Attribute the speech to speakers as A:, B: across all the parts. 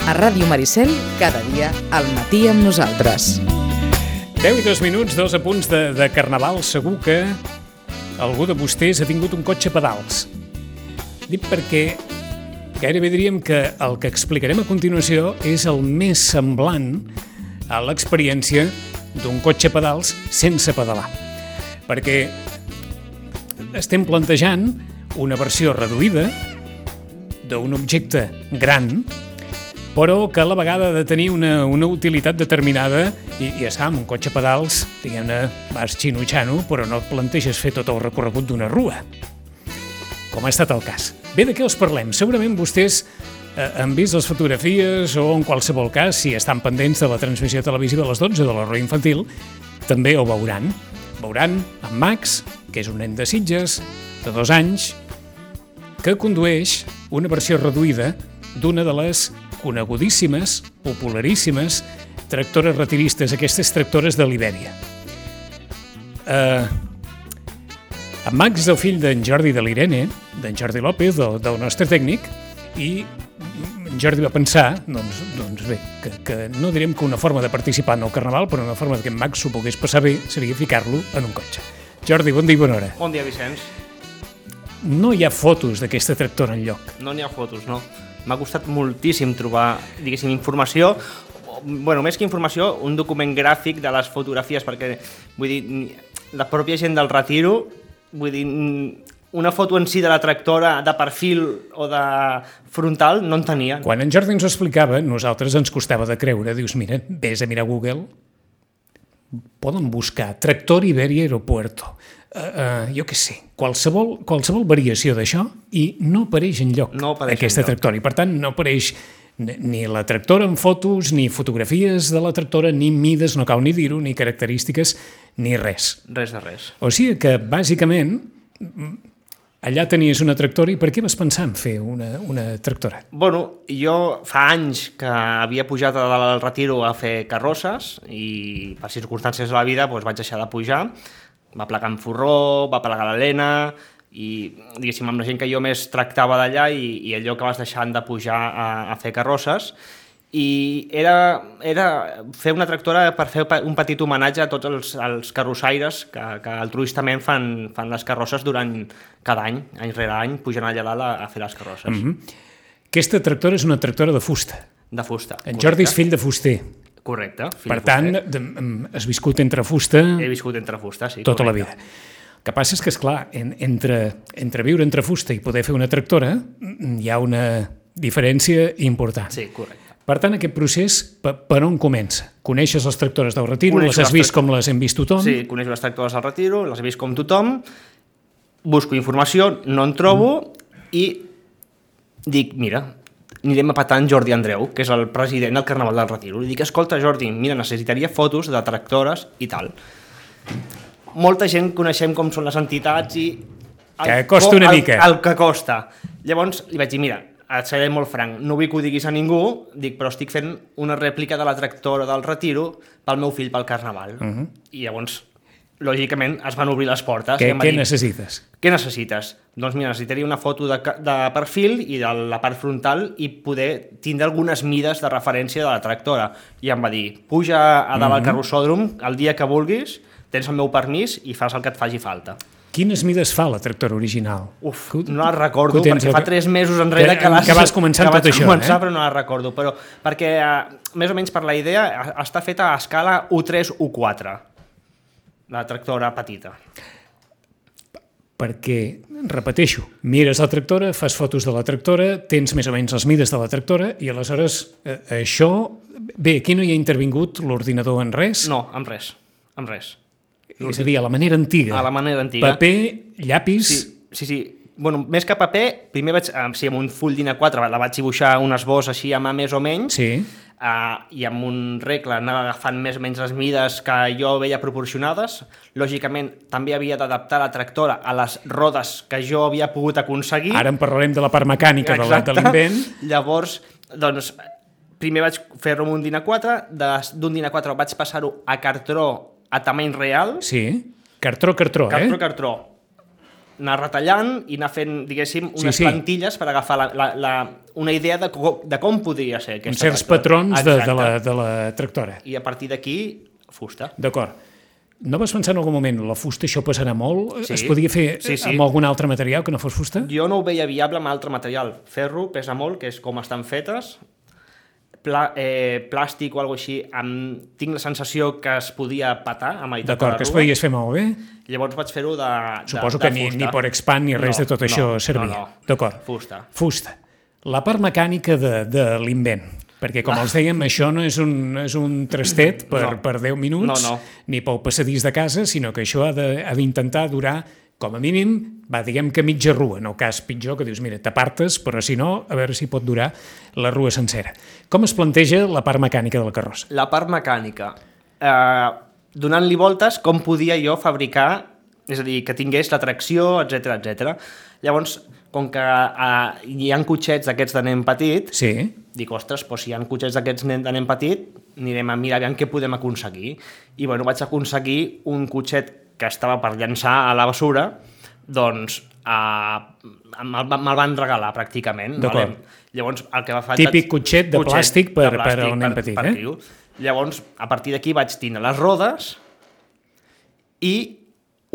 A: A Ràdio Maricel, cada dia al matí amb nosaltres.
B: 10 i 2 minuts, 2 apunts de Carnaval. Segur que algú de vostès ha tingut un cotxe a pedals. Dic perquè gairebé diríem que el que explicarem a continuació és el més semblant a l'experiència d'un cotxe a pedals sense pedalar. Perquè estem plantejant una versió reduïda d'un objecte gran, però que a la vegada ha de tenir una utilitat determinada i ja sap, un cotxe a pedals, diguem-ne, vas xino-xano, però no et planteges fer tot el recorregut d'una rua, com ha estat el cas. Bé, de què els parlem? Segurament vostès han vist les fotografies o en qualsevol cas, si estan pendents de la transmissió televisiva a les 12 de la Roda Infantil, també ho veuran. Veuran en Max, que és un nen de Sitges, de 2 anys, que condueix una versió reduïda d'una de les conegudíssimes, popularíssimes tractores retiristes, aquestes tractores de l'Ibèria. En Max és el fill d'en Jordi de l'Irene, d'en Jordi López, del nostre tècnic, i en Jordi va pensar, doncs bé, que no direm que una forma de participar en el Carnaval, però una forma que en Max s'ho pogués passar bé seria ficar-lo en un cotxe. Jordi, bon dia i bona hora.
C: Bon dia, Vicenç.
B: No hi ha fotos d'aquesta tractora enlloc.
C: No n'hi ha fotos, no. M'ha costat moltíssim trobar, diguéssim, informació, més que informació, un document gràfic de les fotografies, perquè, vull dir, la pròpia gent del retiro, vull dir, una foto en si de la tractora de perfil o de frontal no en tenia.
B: Quan en Jordi ens ho explicava, nosaltres ens costava de creure. Dius, mira, vés a mirar Google, poden buscar tractor Ibèria Aeropuerto. Jo què sé, qualsevol variació d'això i no apareix enlloc aquesta tractora. I per tant no apareix ni la tractora en fotos, ni fotografies de la tractora, ni mides, no cal ni dir-ho, ni característiques, ni res.
C: Res de res.
B: O sigui que, bàsicament, allà tenies una tractora i per què vas pensar en fer una tractora?
C: Bueno, jo fa anys que havia pujat al retiro a fer carrosses i per circumstàncies de la vida vaig deixar de pujar. Va plegar en Forró, va plegar l'Helena i, diguéssim, amb la gent que jo més tractava d'allà i allò que vas deixant de pujar a fer carrosses. I era fer una tractora per fer un petit homenatge a tots els carrossaires que altruistament fan les carrosses durant cada any rere any, pujant allà dalt a fer les carrosses.
B: Aquesta tractora és una tractora de fusta.
C: De fusta.
B: En Jordi és fill de fuster.
C: Correcte.
B: Per tant, has viscut entre fusta...
C: He viscut entre fusta, sí.
B: Tota la vida. El que passa és que, esclar, entre viure entre fusta i poder fer una tractora hi ha una diferència important.
C: Sí, correcte.
B: Per tant, aquest procés, per on comença? Coneixes les tractores del retiro? Les has vist com les hem vist tothom?
C: Sí, coneixo les tractores del retiro, les he vist com tothom, busco informació, no en trobo i dic, mira, anirem a petar en Jordi Andreu, que és el president del Carnaval del Retiro. Li dic, escolta, Jordi, mira, necessitaria fotos de tractores i tal. Molta gent coneixem com són les entitats i...
B: Que costa una mica.
C: El que costa. Llavors li vaig dir, mira, et seré molt franc, no vull que ho diguis a ningú, dic, però estic fent una rèplica de la tractora del Retiro pel meu fill pel Carnaval. I llavors, lògicament, es van obrir les portes.
B: Què necessites?
C: Què necessites? Doncs mira, necessitaria una foto de perfil i de la part frontal i poder tindre algunes mides de referència de la tractora. I em va dir, puja a dalt al carrossòdrom el dia que vulguis, tens el meu permís i fas el que et faci falta.
B: Quines mides fa la tractora original?
C: No la recordo, perquè fa 3 mesos enrere que
B: vas començar tot això.
C: Però no la recordo, perquè més o menys per la idea està feta a escala U3, U4. La tractora petita. Perquè,
B: repeteixo, mires la tractora, fas fotos de la tractora, tens més o menys les mides de la tractora i aleshores això... Bé, aquí no hi ha intervingut l'ordinador en res?
C: No, en res.
B: És a dir, a la manera antiga.
C: A la manera antiga.
B: Paper, llapis...
C: Sí. Bueno, més que paper, primer amb un full d'A4 la vaig dibuixar un esbós així a mà més o menys,
B: sí.
C: I amb un regle anava agafant més o menys les mides que jo veia proporcionades. Lògicament, també havia d'adaptar la tractora a les rodes que jo havia pogut aconseguir.
B: Ara en parlarem de la part mecànica de l'invent.
C: Llavors, doncs, primer vaig fer-ho amb un d'A4, d'un d'A4 vaig passar-ho a cartró a tamany real.
B: Sí, cartró,
C: Cartró. anar retallant i anar fent, diguéssim, unes plantilles per agafar una idea de com podria ser aquesta
B: certs patrons de la tractora.
C: I a partir d'aquí, fusta.
B: D'acord. No vas pensar en algun moment, la fusta això passarà molt?
C: Sí.
B: Es podia fer amb algun altre material que no fos fusta?
C: Jo no ho veia viable amb altre material. Ferro pesa molt, que és com estan fetes. Plàstic o alguna cosa així, tinc la sensació que es podia patar a meitat de la rua.
B: D'acord, que es podies fer molt bé.
C: Llavors vaig fer-ho de
B: Suposo que ni per expand ni res de tot això servia. D'acord. Fusta. La part mecànica de l'invent. Perquè, com els dèiem, això no és un trastet per 10 minuts, ni pel passadís de casa, sinó que això ha d'intentar durar, com a mínim, diguem que mitja rua, no cas pitjor, que dius, mira, t'apartes, però si no, a veure si pot durar la rua sencera. Com es planteja la part mecànica de la carrossa? La part mecànica,
C: donant-li voltes, com podia jo fabricar, és a dir, que tingués la tracció, etc. Llavors, com que hi ha cotxets d'aquests de nen petit, dic, ostres, si hi ha cotxets d'aquests de nen petit, anirem a mirar què podem aconseguir. I vaig aconseguir un cotxet que estava per llançar a la basura, doncs me'l van regalar pràcticament. Llavors, el que va fer...
B: Típic cotxet de plàstic per al nen petit,
C: Llavors, a partir d'aquí vaig tindre les rodes i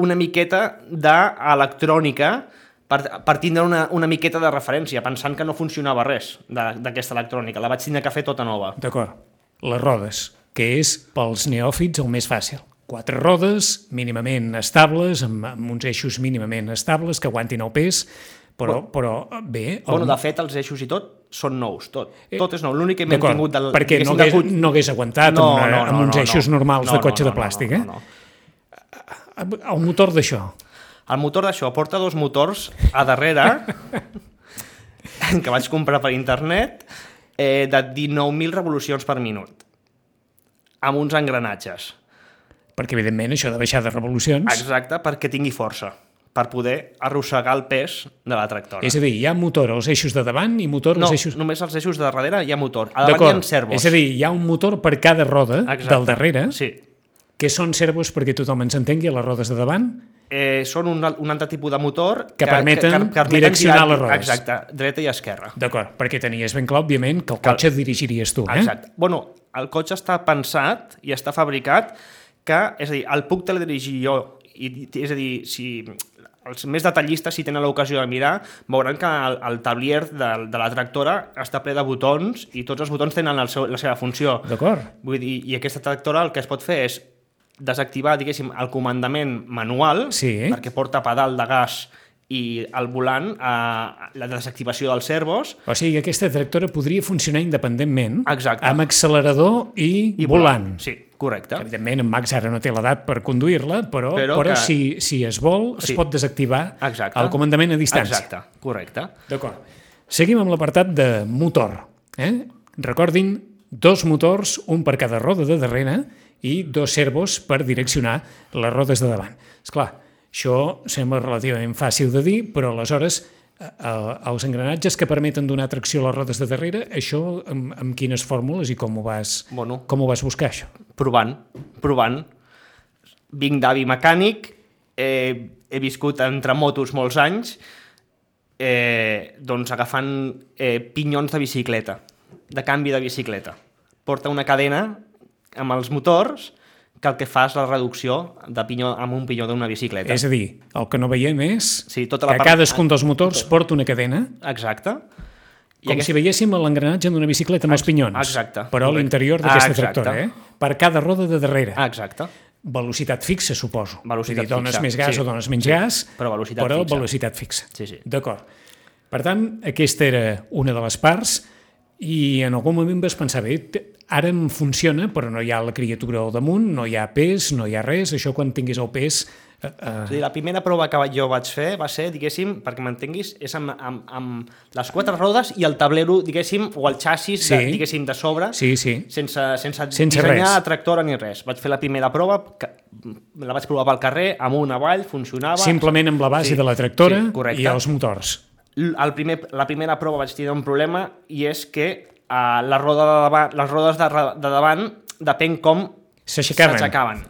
C: una miqueta d'electrònica per tindre una miqueta de referència, pensant que no funcionava res d'aquesta electrònica. La vaig tindre que fer tota nova.
B: D'acord. Les rodes, que és pels neòfits el més fàcil. 4 rodes mínimament estables, amb uns eixos mínimament estables, que aguantin el pes, però bé...
C: De fet, els eixos i tot són nous, tot. Tot és nou. L'únic que m'hem tingut...
B: Perquè no hagués aguantat amb uns eixos normals de cotxe de plàstic, El motor d'això?
C: El motor d'això porta 2 motors a darrere, que vaig comprar per internet, de 19.000 revolucions per minut, amb uns engranatges.
B: Perquè, evidentment, això ha de baixar de revolucions...
C: Exacte, perquè tingui força, per poder arrossegar el pes de la tractora.
B: És a dir, hi ha motor als eixos de davant i motor als eixos...
C: No, només als eixos de darrere hi ha motor. A davant hi ha servos.
B: És a dir, hi ha un motor per cada roda del darrere, que són servos perquè tothom ens entengui a les rodes de davant...
C: Són un altre tipus de motor
B: que permeten direccionar les rodes.
C: Exacte, dreta i esquerra.
B: D'acord, perquè tenies ben clar, òbviament, que el cotxe dirigiries tu.
C: Exacte. Bueno, el cotxe està pensat i està fabricat que, és a dir, el puc teledirigir jo. És a dir, si els més detallistes, si tenen l'ocasió de mirar, veuran que el tablier de la tractora està ple de botons i tots els botons tenen la seva funció.
B: D'acord.
C: Vull dir, i aquesta tractora el que es pot fer és desactivar, diguéssim, el comandament manual, perquè porta pedal de gas i el volant, la desactivació dels servos.
B: O sigui, aquesta tractora podria funcionar independentment, amb accelerador i volant.
C: Sí, correcte.
B: Evidentment, en Max ara no té l'edat per conduir-la, però si es vol, es pot desactivar el comandament a distància.
C: Exacte, correcte.
B: D'acord. Seguim amb l'apartat de motor. Recordin, 2 motors, un per cada roda de darrere, i 2 servos per direccionar les rodes de davant. Esclar, això sembla relativament fàcil de dir, però aleshores els engranatges que permeten donar tracció a les rodes de darrere, això amb quines fórmules i com ho vas buscar, això?
C: Provant. Vinc d'avi mecànic, he viscut entre motos molts anys, doncs agafant pinyons de bicicleta, de canvi de bicicleta. Porta una cadena amb els motors que el que fa és la reducció de pinyó amb un pinyó d'una bicicleta.
B: És a dir, el que no veiem és que cadascun dels motors porta una cadena.
C: Exacte.
B: Com si veiéssim l'engranatge d'una bicicleta amb els pinyons.
C: Exacte.
B: Però a l'interior d'aquesta tractora, per cada roda de darrere.
C: Exacte.
B: Velocitat fixa, suposo.
C: Velocitat fixa.
B: Dones més gas o dones menys gas, però velocitat fixa.
C: Sí.
B: D'acord. Per tant, aquesta era una de les parts i en algun moment vas pensar, bé, ara em funciona, però no hi ha la criatura al damunt, no hi ha pes, no hi ha res, això quan tinguis el pes...
C: La primera prova que jo vaig fer va ser, diguéssim, perquè m'entenguis, és amb les 4 rodes i el tablero, diguéssim, o el xassis, diguéssim, de sobre, sense dissenyar la tractora ni res. Vaig fer la primera prova, la vaig provar pel carrer, amunt, avall, funcionava...
B: Simplement amb la base de la tractora i els motors.
C: La primera prova vaig tenir un problema i és que les rodes de davant depèn com s'aixecaven.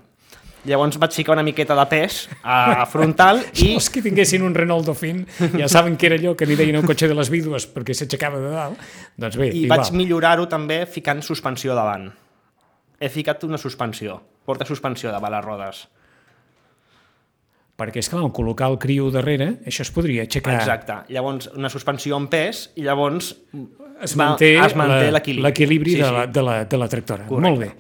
C: Llavors vaig ficar una miqueta de pes a frontal i...
B: Els que tinguessin un Renault Dauphine ja saben que era allò que n'hi deien el cotxe de les vídues perquè s'aixecava de dalt. Doncs bé,
C: I
B: igual.
C: vaig millorar-ho també ficant suspensió davant. He ficat una suspensió, porta suspensió davant les rodes.
B: Perquè, esclar, col·locar el criu darrere, això es podria aixecar.
C: Exacte. Llavors, una suspensió amb pes i llavors
B: Es manté
C: l'equilibri.
B: L'equilibri de la tractora.
C: Correcte.
B: Molt bé.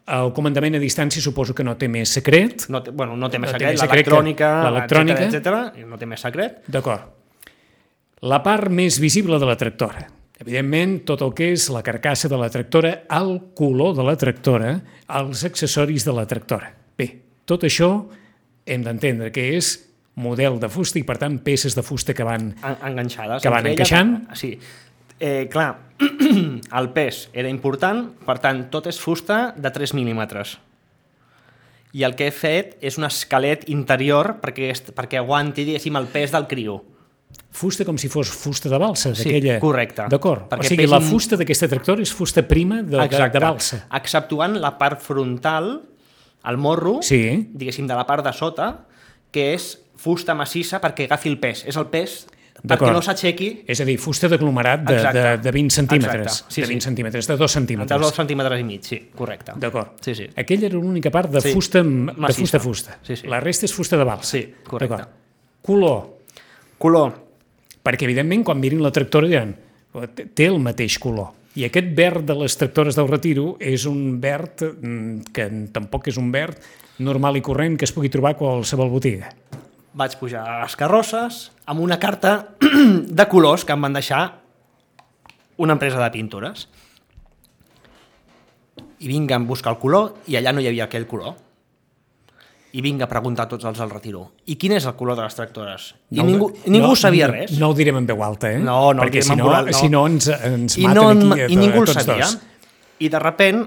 B: El comandament a distància suposo que no té més secret.
C: No té més
B: No té
C: secret,
B: més secret que
C: l'electrònica, etcètera, no té més secret.
B: D'acord. La part més visible de la tractora. Evidentment, tot el que és la carcassa de la tractora, el color de la tractora, els accessoris de la tractora. Bé, tot això hem d'entendre que és model de fusta i, per tant, peces de fusta que van
C: Enganxades.
B: Que van
C: entre
B: encaixant.
C: Sí. Clar, el pes era important, per tant, tot és fusta de 3 mil·límetres. I el que he fet és un esquelet interior perquè aguanti, diguéssim, el pes del criu.
B: fusta com si fos fusta de balsa.
C: Sí,
B: d'aquella...
C: correcte.
B: D'acord. O
C: Perquè
B: sigui, la fusta d'aquesta tractora és fusta prima de balsa.
C: Exceptuant la part frontal, el morro,
B: Sí.
C: diguéssim, de la part de sota, que és fusta massissa perquè agafi el pes. És el pes perquè
B: D'acord.
C: no s'aixequi.
B: És a dir, fusta d'aglomerat de 20 centímetres.
C: Exacte. Sí,
B: de 20
C: sí.
B: centímetres, de 2
C: De
B: centímetres.
C: 2 centímetres i mig, sí, correcte.
B: D'acord.
C: Sí, sí.
B: Aquella era l'única part de
C: Sí.
B: fusta
C: Massissa.
B: de fusta.
C: Sí, sí.
B: La resta és fusta de balsa.
C: Sí, correcte.
B: D'acord. Color.
C: Color.
B: Perquè, evidentment, quan mirin la tractora diran té el mateix color. I aquest verd de les tractores del Retiro és un verd que tampoc és un verd normal i corrent que es pugui trobar a qualsevol botiga.
C: Vaig pujar a les carrosses amb una carta de colors que em van deixar una empresa de pintures. I vinc a buscar el color i allà no hi havia aquell color. I vinc a preguntar a tots els del Retiro. I quin és el color de les tractores? I ningú sabia res.
B: No ho direm en veu alta, eh?
C: No,
B: perquè si no ens
C: I
B: maten aquí
C: I ningú el
B: tots
C: sabia.
B: dos.
C: I de repent,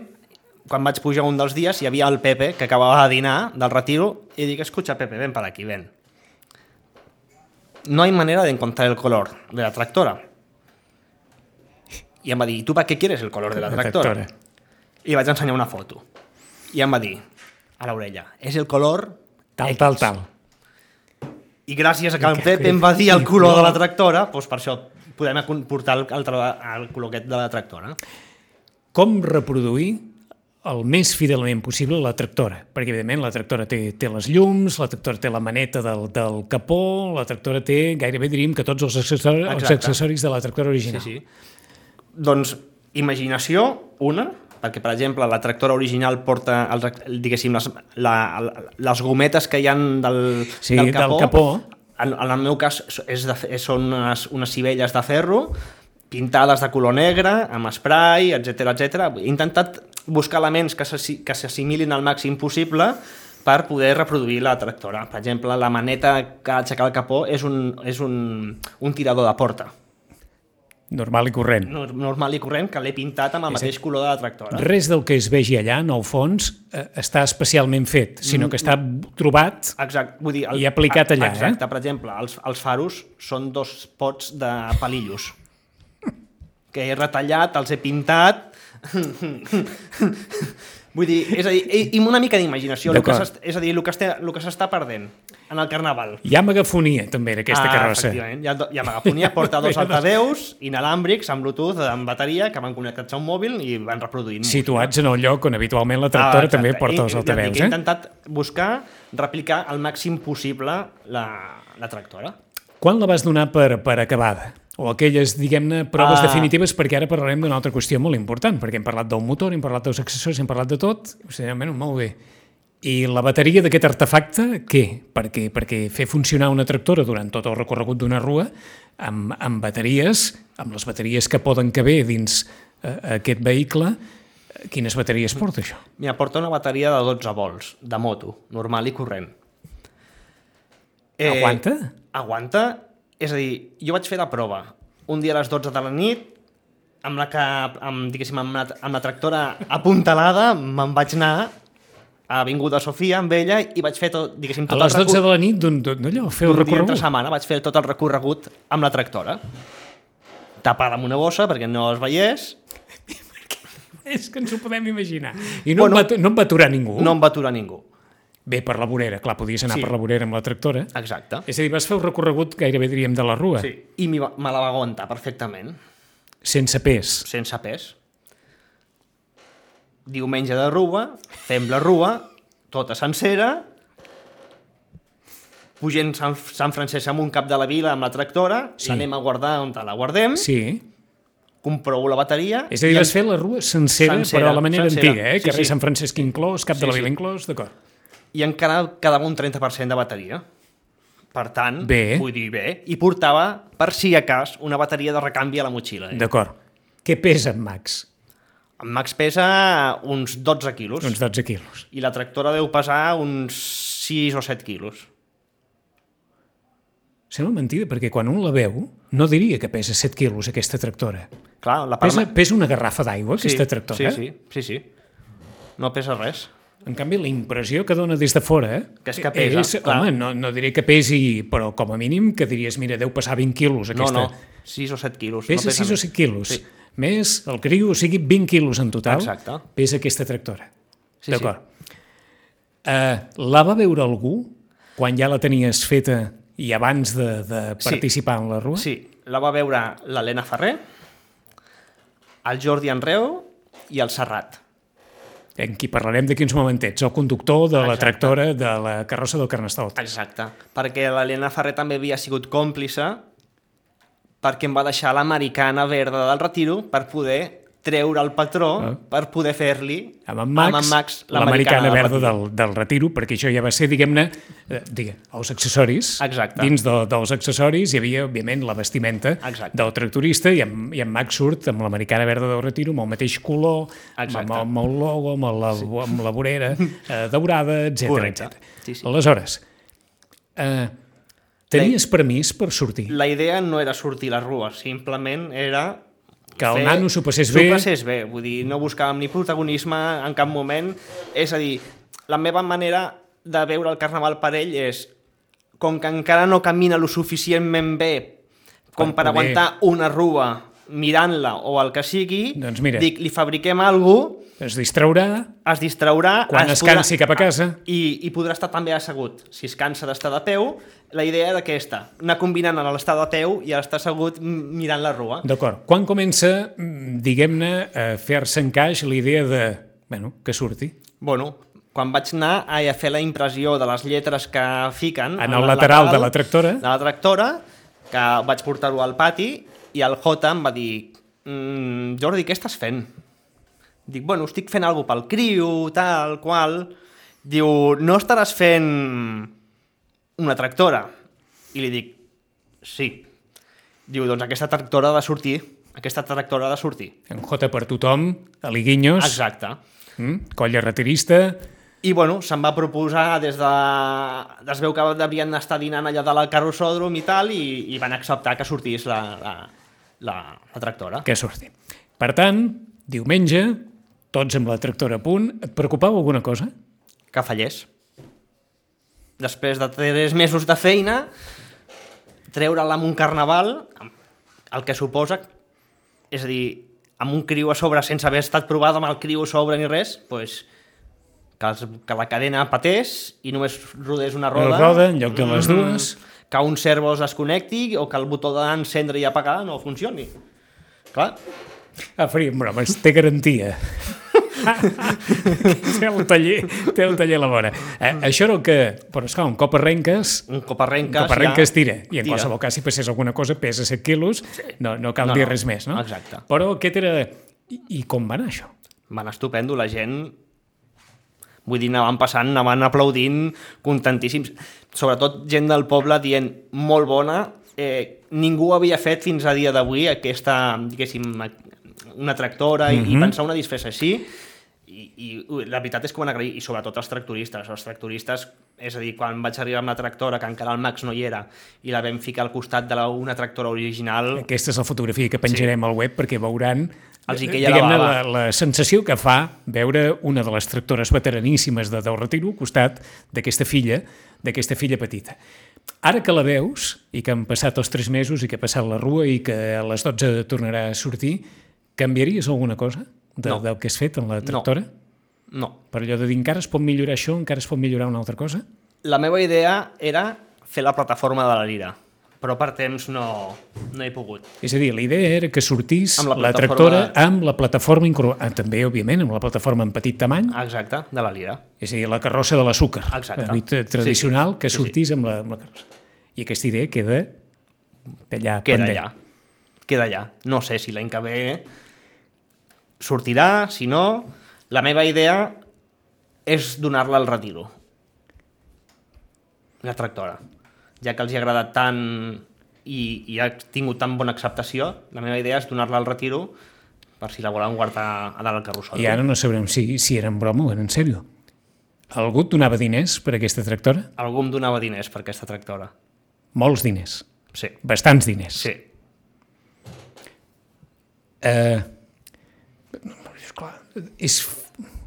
C: quan vaig pujar un dels dies, hi havia el Pepe, que acabava de dinar del Retiro, i dic, escucha, Pepe, ven para aquí, ven. No hay manera de encontrar el color de la tractora. I em va dir, ¿y tú para qué quieres el color de la tractora? I vaig ensenyar una foto. I em va dir, a l'orella, és el color
B: Tal.
C: I gràcies a que el Pepe em va dir el color de la tractora, doncs per això podem portar el color aquest de la tractora.
B: Com reproduir el més fidelment possible la tractora? Perquè, evidentment, la tractora té les llums, la tractora té la maneta del capó, la tractora té, gairebé diríem que tots els accessoris de la tractora original.
C: Sí. Doncs imaginació, una, perquè, per exemple, la tractora original porta, diguéssim, les gometes que hi ha del capó. En el meu cas són unes cibelles de ferro pintades de color negre, amb spray, etc. He intentat buscar elements que s'assimilin al màxim possible per poder reproduir la tractora. Per exemple, la maneta que ha d'aixecar el capó és un tirador de porta.
B: Normal i corrent.
C: Normal i corrent, que l'he pintat amb el mateix color de la tractora.
B: Res del que es vegi allà, en el fons, està especialment fet, sinó que està trobat i aplicat allà.
C: Exacte, per exemple, els faros són 2 pots de palillos que he retallat, els he pintat... Vull dir, és a dir, i una mica d'imaginació, és a dir, el que s'està perdent en el Carnaval.
B: Hi ha megafonia, també, en aquesta carrossa.
C: Efectivament, hi ha megafonia, porta 2 altaveus inalàmbrics amb Bluetooth, amb bateria, que van connectats a un mòbil i van reproduint música.
B: Situats en el lloc on habitualment la tractora també porta els altaveus.
C: He intentat buscar, replicar al màxim possible la tractora.
B: Quan la vas donar per acabada? O aquelles, diguem-ne, proves definitives, perquè ara parlarem d'una altra qüestió molt important, perquè hem parlat del motor, hem parlat dels accessoris, hem parlat de tot, molt bé. I la bateria d'aquest artefacte, què? Perquè fer funcionar una tractora durant tot el recorregut d'una rua, amb bateries, amb les bateries que poden caber dins aquest vehicle, quines bateries porta això?
C: Mira, porta una bateria de 12 volts, de moto, normal i corrent.
B: Aguanta?
C: Aguanta. És a dir, jo vaig fer la prova un dia a les 12 de la nit, amb la tractora apuntalada, me'n vaig anar a Avinguda Sofia amb ella i vaig fer tot, diguéssim, tot el recorregut.
B: A les 12 de la nit, d'allò, fer el recorregut?
C: Un dia entre setmana vaig fer tot el recorregut amb la tractora. Tapada amb una bossa perquè no es veiés.
B: És que ens ho podem imaginar. I no em va aturar ningú?
C: No em va aturar ningú.
B: Bé, per la vorera, clar, podies anar per la vorera amb la tractora.
C: Exacte.
B: És a dir, vas fer un recorregut gairebé, diríem, de la rua.
C: Sí, i me la va aguantar perfectament,
B: Sense pes.
C: sense pes. Diumenge de rua, fem la rua, tota sencera, pugem Sant Francesc amunt cap de la vila amb la tractora, l'anem a guardar on la guardem,
B: Sí.
C: comprovo la bateria...
B: És a dir, vas fer la rua sencera, però a la manera
C: sencera.
B: antiga,
C: Sí,
B: carrer
C: sí.
B: Sant Francesc inclòs, cap de la
C: Sí,
B: vila
C: sí.
B: inclòs, d'acord.
C: I encara quedava un 30% de bateria. Per tant,
B: Bé.
C: vull dir, bé, i portava, per si a cas, una bateria de recanvi a la motxilla.
B: D'acord. Què pesa en Max?
C: En Max pesa uns 12 quilos.
B: Uns 12 quilos.
C: I la tractora deu pesar uns 6 o 7 quilos.
B: Sembla mentida, perquè quan un la veu, no diria que pesa 7 quilos aquesta tractora.
C: Clar, la part...
B: Pesa una garrafa d'aigua, aquesta tractora.
C: Sí. No pesa res.
B: En canvi, la impressió que dona des de fora
C: Que és que pesa, clar.
B: home, no diré que pesi, però com a mínim que diries, mira, deu pesar 20 quilos aquesta.
C: No, 6 o 7 quilos.
B: Pesa
C: no
B: 6 o
C: més.
B: 7 quilos.
C: Sí.
B: Més el criu, o sigui, 20 quilos en total,
C: Exacte.
B: pesa aquesta tractora.
C: Sí,
B: D'acord. La va veure algú quan ja la tenies feta i abans de participar en la rua?
C: Sí, la va veure l'Helena Ferrer, el Jordi Enreu i el Serrat.
B: En qui parlarem d'aquí uns momentets, el conductor de la
C: Exacte.
B: tractora de la carrossa del Carnestoltes.
C: Exacte, perquè l'Helena Ferrer també havia sigut còmplice perquè em va deixar l'americana verda del retiro per poder treure el patró per poder fer-li
B: Amb en Max l'americana verda del retiro, perquè això ja va ser, diguem-ne, els accessoris.
C: Exacte.
B: Dins dels accessoris hi havia, òbviament, la vestimenta
C: Exacte.
B: del tractorista i en Max surt amb l'americana verda del retiro, amb el mateix color,
C: Exacte.
B: amb el logo, amb la vorera daurada, etc.
C: Correcte. Sí.
B: Aleshores, tenies permís per sortir?
C: La idea no era sortir a la rua, simplement era...
B: Que el nano s'ho passés bé?
C: S'ho passés bé, vull dir, no buscàvem ni protagonisme en cap moment. És a dir, la meva manera de veure el carnaval per ell és, com que encara no camina lo suficientment bé com per
B: poder-
C: aguantar una rua mirant-la o el que sigui,
B: Doncs mira.
C: dic, li fabriquem alguna cosa,
B: Es distraurà
C: es distraurà...
B: quan es cansi cap a casa.
C: I podrà estar també assegut. Si es cansa d'estar de peu, la idea era aquesta, anar combinant l'estar de peu i estar assegut mirant la rua.
B: D'acord. Quan comença, diguem-ne, a fer-se encaix l'idea de, que surti?
C: Bueno, quan vaig anar a fer la impressió de les lletres que fiquen...
B: En el lateral de la tractora.
C: De la tractora, que vaig portar-ho al pati, i el Jota em va dir Jordi, què estàs fent? Dic, bueno, estic fent alguna pel criu, tal, qual... Diu, no estaràs fent una tractora? I li dic, sí. Diu, doncs aquesta tractora ha de sortir. Aquesta tractora ha de sortir.
B: En J per tothom, a l'Iguinyos,
C: Exacte.
B: colla retirista.
C: I, bueno, se'm va proposar des de... Es veu que devien estar dinant allà de la carrossòdrom i tal, i van acceptar que sortís la tractora.
B: Que surti. Per tant, diumenge, tots amb la tractora a punt. Et preocupava alguna cosa?
C: Que fallés. Després de 3 mesos de feina, treure-la amb un carnaval, el que suposa, és a dir, amb un criu a sobre sense haver estat provada amb el criu a sobre ni res, doncs, que la cadena patés i només rodés una roda.
B: Una roda en lloc de les dues.
C: Que un servo es desconnecti o que el botó d'encendre i apagar no funcioni. Clar.
B: Faríem bromes, té garantia. té el taller a la vora. Això era el que... Però esclar, un cop arrenques...
C: Un cop arrenques ja...
B: tira. I en
C: tira.
B: qualsevol cas, si passés alguna cosa, pesa 7 quilos, no cal dir res més, no?
C: Exacte.
B: Però aquest era... I com va anar això?
C: Va anar estupendo, la gent... Vull dir, anaven passant, anaven aplaudint, contentíssims. Sobretot gent del poble dient molt bona. Ningú havia fet fins a dia d'avui aquesta, diguéssim, una tractora i pensar una disfressa així. I la veritat és que ho van agrair, i sobretot els tractoristes. Els tractoristes, és a dir, quan vaig arribar amb la tractora, que encara el Max no hi era, i la vam ficar al costat d'una tractora original...
B: Aquesta és la fotografia que penjarem al web perquè veuran
C: Els hi queia la bava.
B: la sensació que fa veure una de les tractores veteraníssimes del Retiro al costat d'aquesta filla petita. Ara que la veus, i que han passat els 3 mesos i que ha passat la rua i que a les 12 tornarà a sortir, canviaries alguna cosa del que has fet en la tractora?
C: No.
B: Per allò de dir encara es pot millorar això, encara es pot millorar una altra cosa?
C: La meva idea era fer la plataforma de la Lira, però per temps no he pogut.
B: És a dir, la idea era que sortís
C: Amb la
B: la tractora amb la plataforma incorporada, també, òbviament, amb la plataforma en petit tamany,
C: Exacte, de la Lira.
B: és a dir, la carrossa de l'azúcar,
C: Exacte.
B: la nit tradicional,
C: Sí,
B: que
C: sí,
B: sortís amb la carrossa. I aquesta idea queda allà
C: Queda
B: pendent.
C: allà. Queda allà. No sé si l'any que ve sortirà, si no... La meva idea és donar-la al retiro. La tractora. Ja que els hi ha agradat tant i ha tingut tan bona acceptació, la meva idea és donar-la al retiro per si la volen guardar a dalt al carrusel.
B: I ara no sabrem si era en broma o era en sèrio. Algú et donava diners per aquesta tractora?
C: Algú em donava diners per aquesta tractora.
B: Molts diners.
C: Sí.
B: Bastants diners.
C: Sí.
B: Esclar,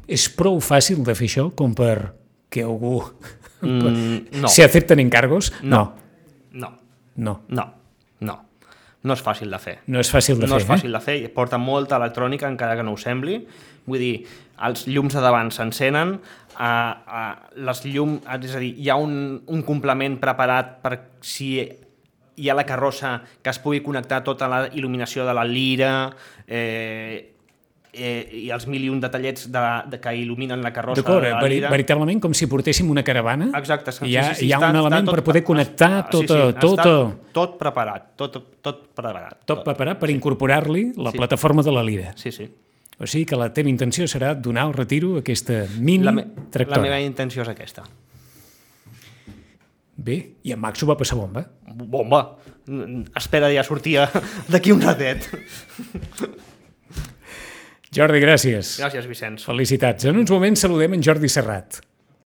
B: és prou fàcil de fer això com per que algú
C: No.
B: se acepten encargos?
C: No.
B: No.
C: No és fàcil de fer.
B: No és fàcil de
C: No
B: fer,
C: és fàcil de fer, i porta molta electrònica, encara que no ho sembli. Vull dir, els llums de davant s'encenen, les llums, és a dir, hi ha un complement preparat per si hi ha la carrossa que es pugui connectar tota la il·luminació de la lira, i els mil i un detallets que il·luminen la carrossa
B: D'acord,
C: de la lira.
B: veritablement com si portéssim una caravana.
C: Exacte, sí,
B: Hi ha
C: està
B: un element per poder connectar tot
C: tot preparat, tot preparat.
B: tot preparat per incorporar-li la plataforma de la Lira.
C: Sí, sí.
B: O sigui que la teva intenció serà donar al retiro aquesta mini
C: La
B: tractora.
C: meva intenció és aquesta.
B: Bé, i en Max ho va passar bomba.
C: Bomba! Espera ja sortia d'aquí un ratet.
B: Jordi, gràcies.
C: Gràcies, Vicenç.
B: Felicitats. En uns moments saludem en Jordi Serrat.